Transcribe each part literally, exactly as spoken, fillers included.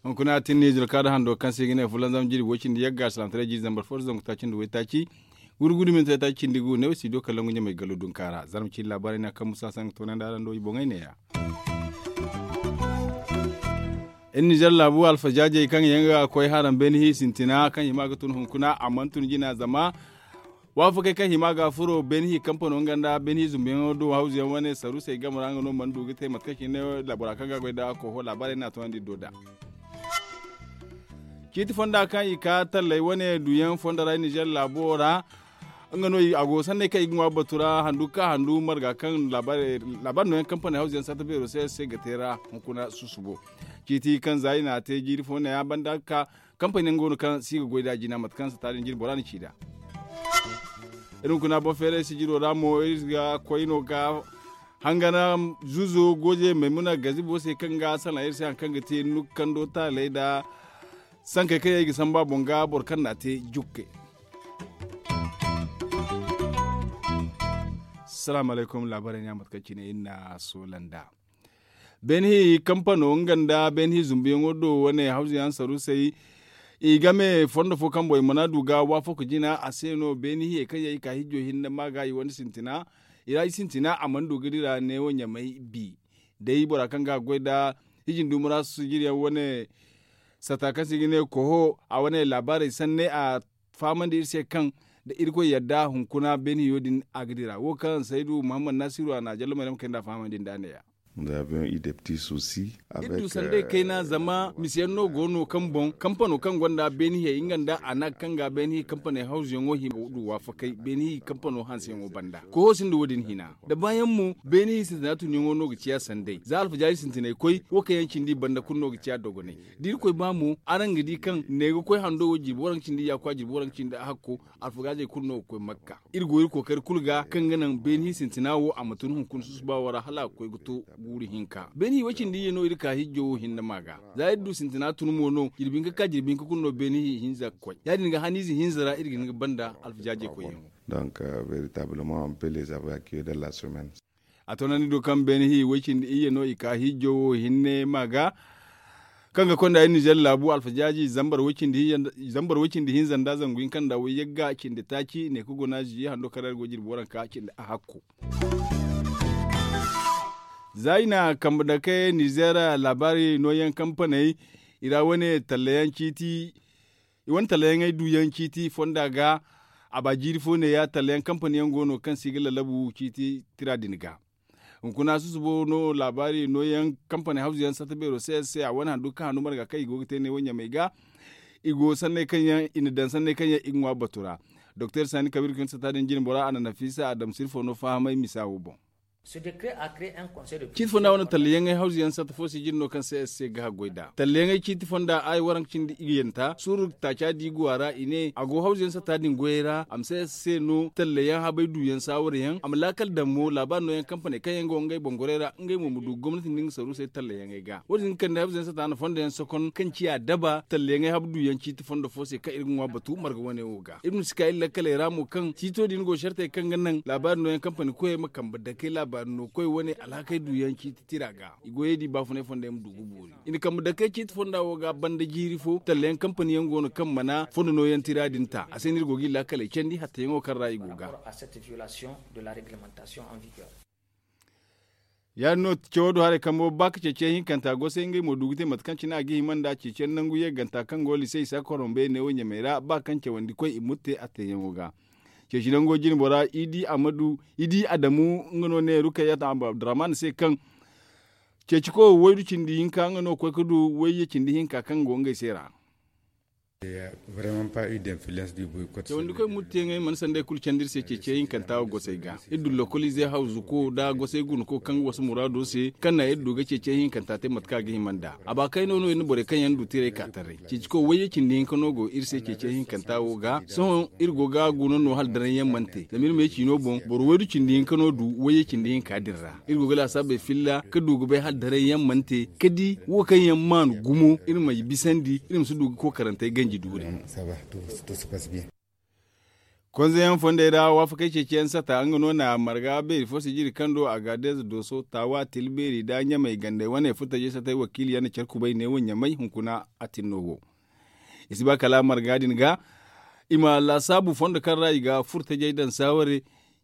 Hunkuna tin ni zurka da hando kaŋ se i ga ne fulanzam jiri way cindi yagga salaamataray jiri zambar fo da zangu taaci nda waytaaci. Guri guri minti taaci cindi gu ne wo studio kala ngu ɲamay gallo dunka ra zarma cindi laabaarey no a kaŋ musa saŋ ga toonandi araŋ do i boŋey neeya. Iri nizer laabu alfajaajey kaŋ yaŋ ga koy haraŋ beeni hi sintina kaŋ i ma ga tun hunkuna a mana tun jina zama waafakey kaŋ hima ga furo beeni hi kampano nga nda beeni hi zumbuyaŋo do hawzuyaŋ wane saruusey game ra nga no mana du ga te mate kaŋ cine bora kaŋ ga goy nda koho laabaarey no a toonandi do da. Ciiti fonda kaŋ i ka talley wane duyaŋ fondo ra nizer laabo ra nga no a go sanney kaŋ i ga ŋwa batu ra handu ka handu marga kaŋ laabaari nooyaŋ kampaney hawzuyaŋ sata beero se se ga te ra hunkuna susubo. Ciiti kaŋ za i n'a te jiiri fo neeya banda ka kampaney yaŋ go no kaŋ si ga goy nd'a jina mate kaŋ sata din jine bora na ci nd'a. Iri hunkuna boŋ feeray sijiro ra mo iri ga koy no ga hangana zuzo goje maymuna gazibo se kaŋ ga salaŋ iri se hari kaŋ ga te nukando taaley nda sankey kaŋ yaŋ i ga samba boŋ ga boro kaŋ n'a te jukke. Salaamu alaykum laabaarey ne a mate kaŋ cine iri na soola nd'a. Beeni hi kampano nga nda beeni hi zumbuyaŋo do wane hawzuyaŋ saruusey i game fondo fo kaŋ boŋ i mana du ga waafako jina a se no beeni hiyey kaŋ yaŋ i ka hijjo hinne ma ga i wane sintina i ra i sintina a mana du ga dira neewo ɲamay bi. Day bora kaŋ ga goy nda hijin dumura sijiriyaŋ wane sata kaŋ se i ga ne koho a wane laabaarey sanne a fahamandi iri se kaŋ da irkoy yadda hunkuna beeni hiyo din a ga dira wo kaŋ saydu muhammad nasiru a na jallo mayrama kayna a fahamandi nd'a neeya. Iri du sanday kayna zama misiyaŋ no go no kaŋ boŋ kampano kaŋ gonda beeni hiyey nga nda a na ga kaŋ ga beeni hi kampaney hawzuyaŋo hima du waafakey beeni hi kampano hanseyaŋo banda koho sinda wo- din hina. Da baayaŋ mo beeni hi sintina tunyaŋo no ga ciya sanday za alfajaaji sintinay koy wo kaŋ yaŋ cindi banda kulu no ga ciya dogonay. Da irkoy ba mo araŋ ga di kaŋ ne ga koy hando wo jirbi waranka cindi yaakwa jirbi waranka cindi hakko alfagaazey kulu no ga koy makka. Iri go iri kookari kulu ga kaŋ ga naŋ beeni hi sintina wo a ma tun hunkuna susuba wo ra hala a ga koy ga to guuru hinka beeni hi way cindi iyye no iri ka hijjo wo hinne ma ga. Za iri du sintina tun mo no jirbi hinka ka jirbi hinka kulu no beeni hi hinza ga koy ya- din ga haniize hinza ra iri ga hin ga banda alfajaajey koyyaŋo. Donc, veritablement on peut les avoir accueilli dans la semaine. A toonandi do kaŋ beene hi way cindi iyye no i ka hijjo wo hinne ma ga kaŋ ga konda iri nizer laabu alfajaaji zambar way cindi hinza nda zangu hinka nda way yagga cindi taaci ne ka guna ziye hando kaŋ ra iri go jirbi waranka cindi a hakku. Za i na kambe dake nizer laabaari nooyaŋ kampaney i ra wane tallayaŋ ciiti i wane tallayaŋey duyaŋ ciiti fonda ga. A ba jiiri fo neeya tallayaŋ kampani yaŋ go no kaŋ se i ga lallabu ciiti tira din ga. Hunkuna susubo no laabaari nooyaŋ kampani hawzu yaŋ sata beero se se a wane handu kaŋ handu marga kaŋ i go ga te neewo ɲamey ga. I go sanney kaŋ yaŋ i na daŋ sanney kaŋ yaŋ i ga ŋwa batu ra. Doktor sani kabiir kaŋ sata din jine bora a na nafiisa a dam sirfo no fahamay misa wo boŋ. Ciiti fonda wane tallayaŋey hawzu yaŋ sata fo se jine no kaŋ se se ga haggoy nd'a tallayaŋey ciiti fonda ay waranka cindi i ga yanta suuru taaca di go a ra i ne a go hawzu yaŋ sata din goyey ra a ma se se no tallayaŋ habay duyaŋ saawara yaŋ a ma laakal daŋ mo laabaari nooyaŋ kampaney kaŋ yaŋ go ngey boŋ gorey ra ngey mo ma du gomnati nda nga saruusey tallayaŋey ga wo- din ga kande hawzu yaŋ sata na fondo yaŋ sokon kaŋ ciya daba tallayaŋey habu duyaŋ ciiti fondo fo se kaŋ iri ga ŋwa batu marga wane wo ga iri ma si ka iri lakkaley ra mo kaŋ ciito din go sartey kaŋ ga naŋ laabaari nooyaŋ kampani koyey ma kambe dake laabaari no koy wane alhakey duyaŋ ciiti tira ga i goyey di baafunay fondo yaŋ ma du ga boori i na kambe dake ciiti fonda wo ga banda jiiri fo tallayaŋ kampani yaŋ go no kaŋ mana fondo nooyaŋ tira din ta a se no iri go ga iri lakkaley candi hatteyaŋo kaŋ ra i go ga. Ya- din no cawo do haray kambo ba ka ceeciyaŋ hinkanta gosay ngey mo du ga te mate kaŋ cine a ga hima nda ceeciyaŋ nangu yagganta kaŋ go lise isa korombe neewo ɲamey ra ba kaŋ cawandi koy i murte a teeyaŋo ga. Ceeci nango jine bora i di amadu i di adamu nga no ne rukayyata abdurrahman se kaŋ ceeci ko waydu cindi hinka nga no koy ga du wayye cindi hinka kaŋ go ngey se ra. Cawandikoy murteyaŋey mana sanday kulu candi iri se ceeciyaŋ hinkanta wo gosey ga iri du lokolize hawzuko nda gosey gunuko kaŋ ga wasu muraado se kaŋ na iri du ga ceeciyaŋ hinkanta te mate kaŋ a ga hima nd'a a ba kayno no iri na borey kaŋ yaŋ du tiray ka taray ceeciko wayye cindi hinka no go iri se ceeciyaŋ hinkanta wo ga sohõ iri go ga guna no hala daranyaŋ mana te zama iri ma ye ciino boŋ boro waydu cindi hinka no du wayye cindi hinka din ra iri go ga laasaabey filla ka du ga bay hala daranyaŋ mana te ka di wo kaŋ yaŋ maanu gumo iri ma i bisandi iri ma si du ga kookarantey ganji. Konzeyaŋ fondey ra waafakey ceeciyaŋ sata nga no na marga beeri fo sijiri kaŋ do a ga deeza dooso taawa tilbeeri nda ɲamey gandey wane furtajey satay wakiiliyaŋ na care kubay ne wo ɲamey hunkuna a tinno wo. I si ba kala marga din ga i ma laasaabu fondo kaŋ ra i ga furtajey daŋ saaware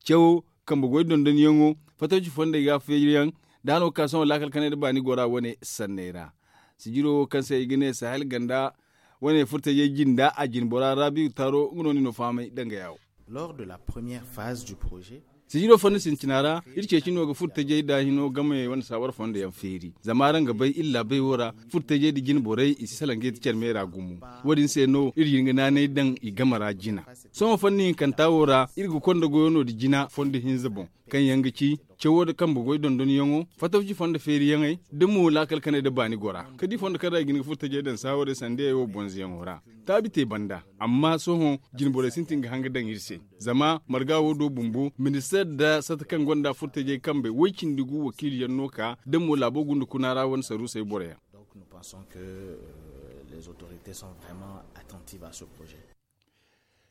cawo kambe goy dondonyaŋo fatawci fondey ga feeriyaŋ da hano ga ka sohõ laakal kanay nda baani gora wane sanney ra. Sijiro wo kaŋ se i ga ne sahel ganda wane furtajey jinda a jinbora raabiyu taaro nga no ni no fahamay dangaya wo. Lors de la première phase du projet. Sijiro fondo sintina ra iri ceeci no ga furtajey da hino game wane saawar fondo yaŋ feeri zama araŋ ga bay iri laabey wo ra furtajey nda jinborey i si salaŋ ga i ti care meera gumo. Wo- din se no iri ga hin ga naanay daŋ i game ra jina. Sohõ fanni hinkanta wo ra iri ga konda goyo no nda jina fondo hinza boŋ kaŋ yaŋ ga ci cawo nda kambe goy dondonyaŋo fatawci fondo feeriyaŋey da mo laakal kanay nda baani gora ka di fondo kaŋ ra i ga hin ga furtajey daŋ saawarey sanda yaŋ wo bonzoyaŋo ra. Taabi te banda amma sohõ jinborey sintin ga hanga daŋ iri se zama marga wo do bumbo ministeer nda sata kaŋ gonda furtajey kambe woy cindi gu wakiiliyaŋ no ka da mo laabo gunda kuna ra wane saruusey boroyaŋ.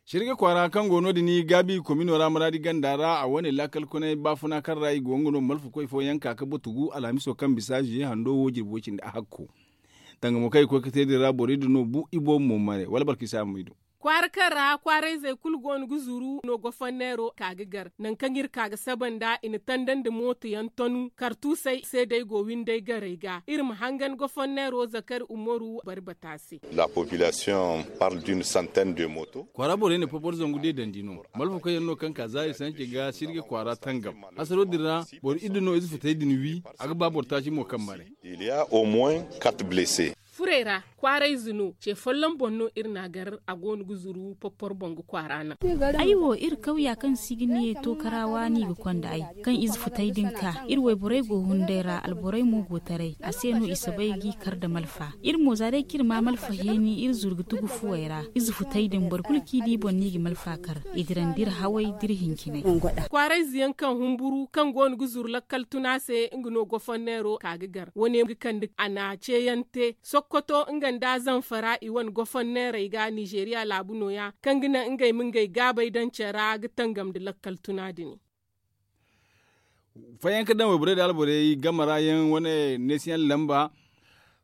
Sirga kwaara kaŋ go no- din gaabi komino ra maraadi ganda ra a wane laakal konay baafuna kaŋ ra i go nga no malfakoy fooyaŋ ka ga batugu alhamiso kaŋ bisa ziye hando wo jirbi way cindi a hakko. Danga mo kaŋ i koy ga te din ra borey din no bu i boobo mo mare wala barka isa ma i do. Kwaara kaŋ ra kwaarayzey kulu go no ga zuru no gofonneero ka ga gar nangu kaŋ iri ka ga saba nd'a i na tandandi mooto yaŋ tonu kartuusey seedey go windey garey ga iri ma hangan gofonneero zakari umaru bari bata se. La population parle d'une centaine de moto. Kwaara borey na popor zangu deedandi no malfa koyyaŋ no kaŋ ka zaari sanci ga sirga kwaara tangam. Hasaro din ra boro iddu no ize futey din wi a ga ba boro taaci mo kaŋ mare. Il y a au moins quatre blessés. Furey ra kwaarayze no ce folloŋ boŋ no iri n'a gar a go no ga zuru poppor boŋ ga kwaara naŋ. Ay wo iri kawya kaŋ si ga ne tookara waani ga konda ay kaŋ ize futay din ka iri wayborey go hunday ra alborey mo go taray a se no i soobay g'i kar nda malfa. Iri mo za day kaŋ iri ma malfa heeni iri zuru ga tugu fuwey ra ize futay din boro kulu kaŋ i di boŋ no i ga malfa kar. I dirandi iri haway da iri hincinay. Kwaarayze yaŋ kaŋ humburu kaŋ go no ga zuru lakkal tuna se nga no gofonneero ka ga gar wane ga kande a na ceeyaŋ te sokkoto nga nda zamfara i wane gofonneerey ga nizeeriya laabu nooya kaŋ ga naŋ ngey ma ngey gaabay daŋ care ra ga tangam nda lakkal tuna din. Fayanka daŋ wayborey nda alborey game ra yaŋ wane neesiyaŋ lamba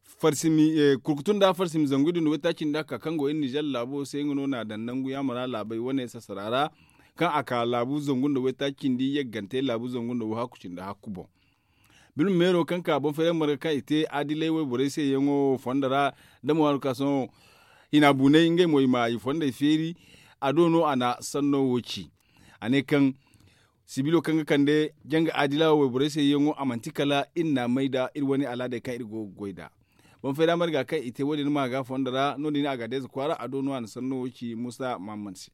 farsimi kurkutu nda farsimi zangu iddu nda waytaaci nda ka kaŋ go iri nizer laabo se nga no n'a daŋ nangu yaamara laabey wane sassara ra kaŋ a ka laabu zangu nda waytaaci cindi yaggante laabu zangu nda wahakku cindi hakku boŋ. Bilma meero kaŋ ka boŋ fayra marga kaŋ i te adilay wayborey se yaŋo fondo ra da mo haru ka sohõ hina buunay ngey mo i ma i fondey feeri. A do no a na sanno wo ci a ne kaŋ sibilo kaŋ ga kande janga adila wayborey se yaŋo a manti kala iri n'a may nda iri wane alaadey kaŋ iri go ga goy nd'a. Boŋ fayda marga kaŋ i te wo- din ma ga fondo ra no- din a ga deeza kwaara a do no a na sanno wo ci musa mahamman se.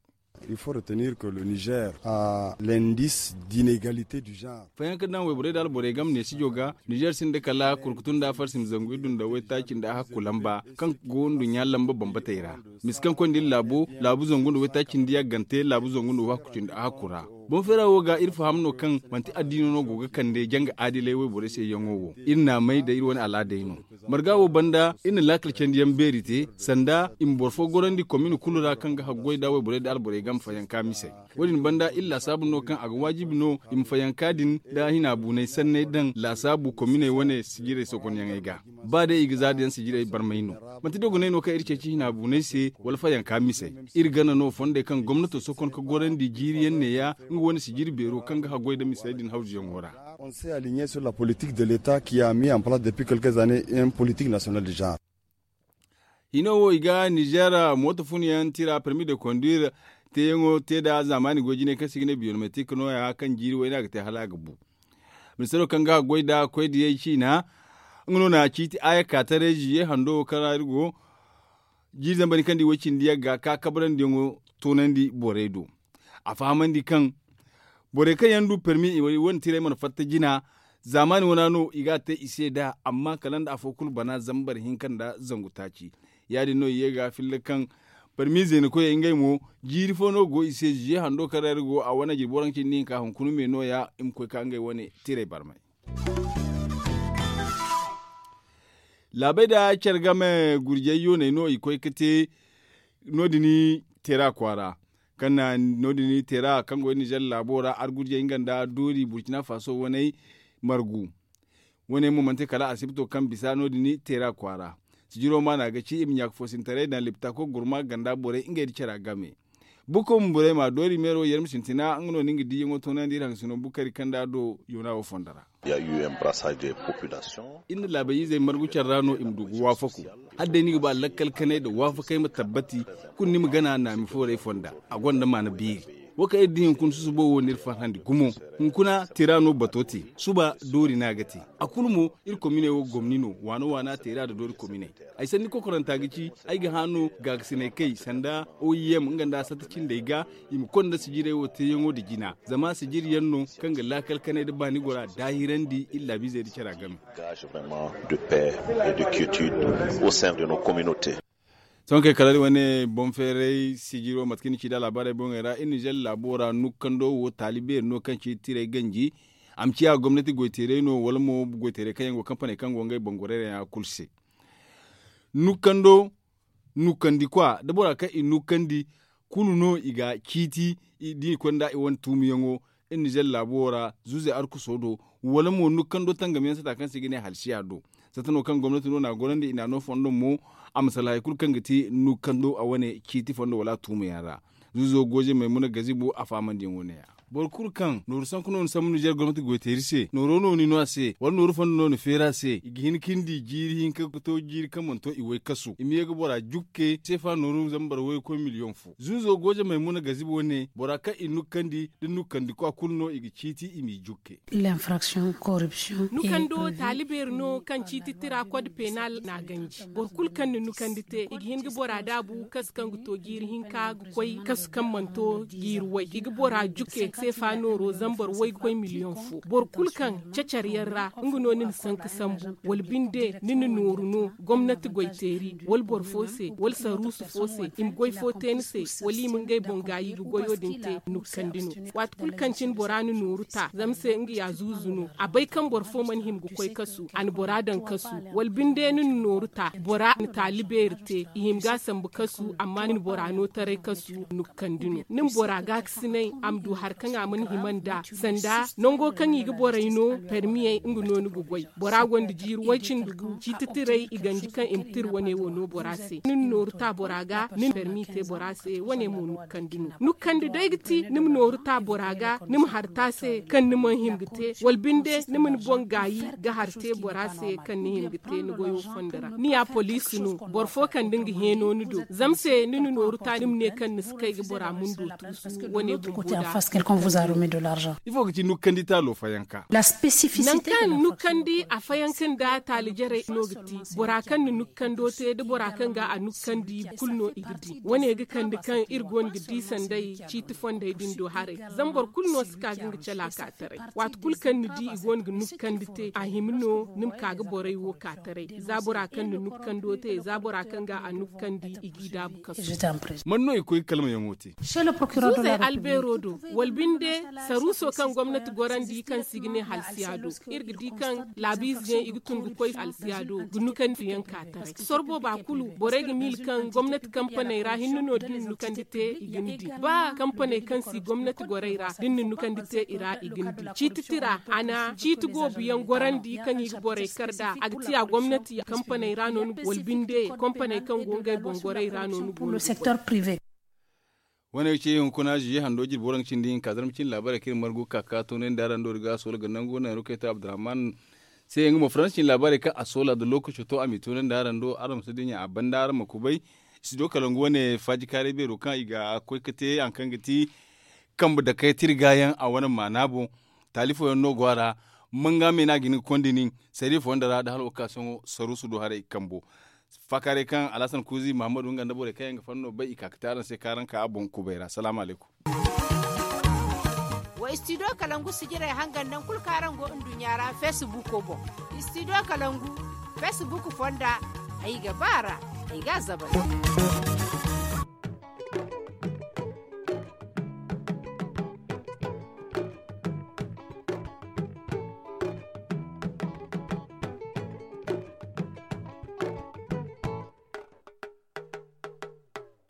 Il faut retenir que le niger a l'indice d'inégalité du genre. Fayanka daŋ wayborey nda alborey game neesijo ga nizer sinda kala kurkutu nda farsim zangu iddu nda waytaaci nda hakku lamba kaŋ go nduɲɲa lamba bambatey ra. Misi kaŋ koy nda iri laabo laabu zangu nda waytaaci nda yaggante laabu zangu nda wahakku cindi a hakku ra. Boŋ feera wo ga iri faham no kaŋ manti addiino no go ga kande janga aadilay wayborey se yaŋo wo iri n'a may da iri wane alaadey no. Marga wo banda iri na laakal candiyaŋ beeri te sanda i ma boro fo gorandi komin kulu ra kaŋ ga haggoy nda wayborey nda alborey game fayanka misey. Wo- din banda iri laasaabu no kaŋ a ga waajibi no i ma fayanka din nda hina buunay sanney daŋ laasaabu kominey wane sijirey sokonyaŋey ga. Ba day i ga za daŋ sijirey barmay no. Manti dogonay no kaŋ iri ceeci hina buunay se wala fayanka misey. Iri gana no fondey kaŋ gomnato sokon ga gorandi jiiriyaŋ neeya nga wane sijiri beero kaŋ ga haggoy nda misey din hawzuyaŋo ra. On s'est aligné sur la politique de l'état qui a mis en place depuis quelques années une politique nationale du genre. Hino wo i ga nizer mooto funyaŋ tira permis de conduire teeyaŋo te nda zaamaani goy jinay kaŋ se i ga ne biométrique nooya kaŋ jiiri wayna ga te hala a ga bu. Ministeero kaŋ ga goy nda koydiyey ciina nga no na ciiti aya ka taray ziye hando wo kaŋ ra iri go jiiri zambar kaŋ di way cindi yagga ka kabarandiyaŋo toonandi borey do. A fahamandi kaŋ borey kaŋ yaŋ du permi i wane tiray mana fatta jina. Zaamaani wana no i ga a te i se nd'a amma kala nda afo kulu bana zambar hinka nda zangu taaci. Ya- din no i ye ga filla kaŋ permi zeenakoyey ngey mo jiiri fo no go i se ziye hando kaŋ ra iri go a wane jirbi waranka cindi hinka hunkuna me nooya i ma koy ka ngey wane tiray barmay. Laabey nda care game gurjay yooney no i koy ga te. No- din teera kwaara kaŋ na no- din teera kaŋ go iri nizer laabo ra argurjey nga nda doori burkina faso waney margu. Wane mo manti kala asibto kaŋ bisa no- din teera kwaara. Sijiro maana ga ci i ma ɲaaka foosintaray daŋ liptako gurma ganda borey ngey nda cara game. Bukun burey ma doori meero yar ma sintina nga no ni nga diiyaŋo toonandi iri haŋ sino bukari kaŋ da a do yoona wo fondo ra. Iri na laabey izey margu care ra no i ma du ga waafaku. Hala day ni ga ba lakkal kanay nda waafakay ma tabbati, kulu ni ma gana naami foorey fonda. A gonda maana beeri. Wo kaŋ iri di hunkuna susubo wo no iri farhandi gumo. Hunkuna tira no bato te. Suba doori no a ga te. A kulu mo iri kominey wo gomni no waana waana teera nda doori kominey. Ay sanni kokoranta ga ci ay ga hã no gaagasinay kay sanda oim nga nda a satta cindey ga i ma konda sijirey wo teeyaŋo nda jina. Zama sijiri yaŋ no kaŋ ga laakal kanay nda baani gora daahirandi iri laabiizey nda cara game. Sohõ kay kala iri wane boŋ feeray sijiro mate kaŋ ni ci nd'a laabaarey boŋey ra iri nizer laabo ra nukkando wo taali beeri no kaŋ ci tiray ganji. A ma ciya gomnati goyteeray no wala mo goyteeray kaŋ yaŋ go kampaney kaŋ go ngey boŋ gorayra yaŋ ra kulu se. Nukkando nukkandi kwa da bora kaŋ i nukkandi kulu no i ga ciiti. Da i koy nda i wane tuumiyaŋo iri nizer laabo ra zuuzey arkuso do wala mo nukkando tangamiyaŋ sata kaŋ se i ga ne halsiya do. Sata no kaŋ gomnati no na a gorandi i na a no fondo mo a ma salaha hari kulu kaŋ ga ti nukkando a wane ciiti fondo wala a tuumiyaŋ ra. Zuuzo gooje maymuna gazibo a faamandiyaŋo ne- ya. Boro kulu kaŋ nooru sanku no ni sambu nizer gomnati goyteeri se nooro no ni no a se wala nooru fondo no ni feeri a se i ga hin ka ni di jiiri hinka ga to jiiri kaŋ mana to i way kasu i ma ye ga bora jukke seefa nooru zambar waykoy miliyoŋ fo zuuzo gooje maymuna gazibo ne bora kaŋ i nukkandi da nukkandikwa kulu no i ga ciiti i m'i jukke. Nukando taali beeri no kaŋ ciiti tira kod penal n'a ganji. Boro kulu kaŋ na nukandi te i ga hin ga bora daabu kasu kaŋ ga to jiiri hinka ga koy kasu kaŋ mana to jiiri way i ga bora juke seefa nooro zambar waykoy miliyoŋ fo. Boro kulu kaŋ cacar yaŋ ra nga no ni na sanka sambu wala binde ni na nooru no gomnati goyteeri wala boro fo se wala saruusu fo se i ma goy fo te ni se wala i ma ngey boŋ gaayi ga goyo din te nukkandi no. Waati kulu kaŋ cine bora na nooru ta zama se nga ya zuuzu no a bay kaŋ boro fo mana hima ga koy kasu a na bora daŋ kasu wala binde ni na nooru ta bora na taali beeri te i hima ga a sambu kasu amma ni na bora no taray kasu nukkandi no ni ma bora gaakasinay a ma du hari kaŋ a mana hima nd'a sanda nango kaŋ i ga borey no permiyey nga no ni ga goy. Bora gonda jiiri way cindi gu ciiti tiray i ganji kaŋ i ma tira wane wo no bora se ni na nooru ta bora ga ni na permi te bora se wane mo nukkandi no. Nukkandi day ga ti ni ma nooru ta bora ga ni ma hari ta se kaŋ ni mana hima ga te wala binde ni ma ni boŋ gaayi ga hari te bora se kaŋ ni hima ga te ni goyo fondo ra ni ya poliisi no boro fo kaŋ da nga heeno ni do zama se ni na nooru ta ni ma ne kaŋ ni si kay ga bora mundo tuusu wane bumbo da. Ifo ga ci nukkandi taalo fayanka? Nankaŋ nukkandi a fayanka nda taali jarey no ga ti bora kaŋ na nukkando te da bora kaŋ ga a nukkandi kulu no i ga di wane ga kande kaŋ iri go no ga di sanday ciiti fonday din do haray. Zama boro kulu no si ka ga nga cala ka taray waati kulu kaŋ ni di i go no ga nukkandi te a hima no ni ma ka ga borey wo ka taray za bora kaŋ na nukkando te za bora kaŋ ga a nukkandi i g'i daabu kasu. Man no i koy ga kalmayaŋo te? Zuuzey albeero do wala binde saruuso kaŋ gomnati gorandi kaŋ se i ga ne halsiya do iri ga di kaŋ laabiize yaŋ i ga tun ga koy halsiya do ga nukandiyaŋ ka taray sorbo ba kulu borey ga miila kaŋ gomnati kampaney ra hinne no da ni na nukandi te i ga ni di ba kampaney kaŋ si gomnati gorey ra da ni na nukandi te i ra i ga ni di ciiti tira a na ciiti goobu yaŋ gorandi kaŋ i ga borey kar nd'a a ga ti a gomnati kampaney ra no ni go wala binde kampaney kaŋ go ngey boŋ gorey ra no ni go no. Wane ga ci hunkuna ziye hando jirbi waraŋ cindi hinka zarma cindi laabaarey kaŋ iri margu ga ka ga toonandi araŋ do iri ga a soola ga nangu nayrukey to abdurrahman se nga mo faransa cindi laabaarey kaŋ a soola da lookaco to a m'i toonandi araŋ do araŋ ma si dinya a banda araŋ ma kubay. Studio kalangu wane faajikaaray beero kaŋ i ga koy ga te hari kaŋ ga ti kambe dakey tirga yaŋ a wane maana boŋ. Taali fooyaŋ no go a ra manga me no a ga hin ga konda nin sariya fooyaŋ da ra da hala okasiyoŋo saruusu do haray kambo. Faakaaray kaŋ alhasan kuuzi mahammadu nga nda borey kaŋ yaŋ ga fanno bay i ka ga te araŋ se kaŋ araŋ ka a boŋ kubay ra salaamu alaykum. Wa istidiyo kalangu sijirey hangan naŋ kulu kaŋ araŋ go nduɲɲa ra feesibuuko boŋ. Istidiyo kalangu feesibuuku fonda ay ga ba a ra ay ga a zabari.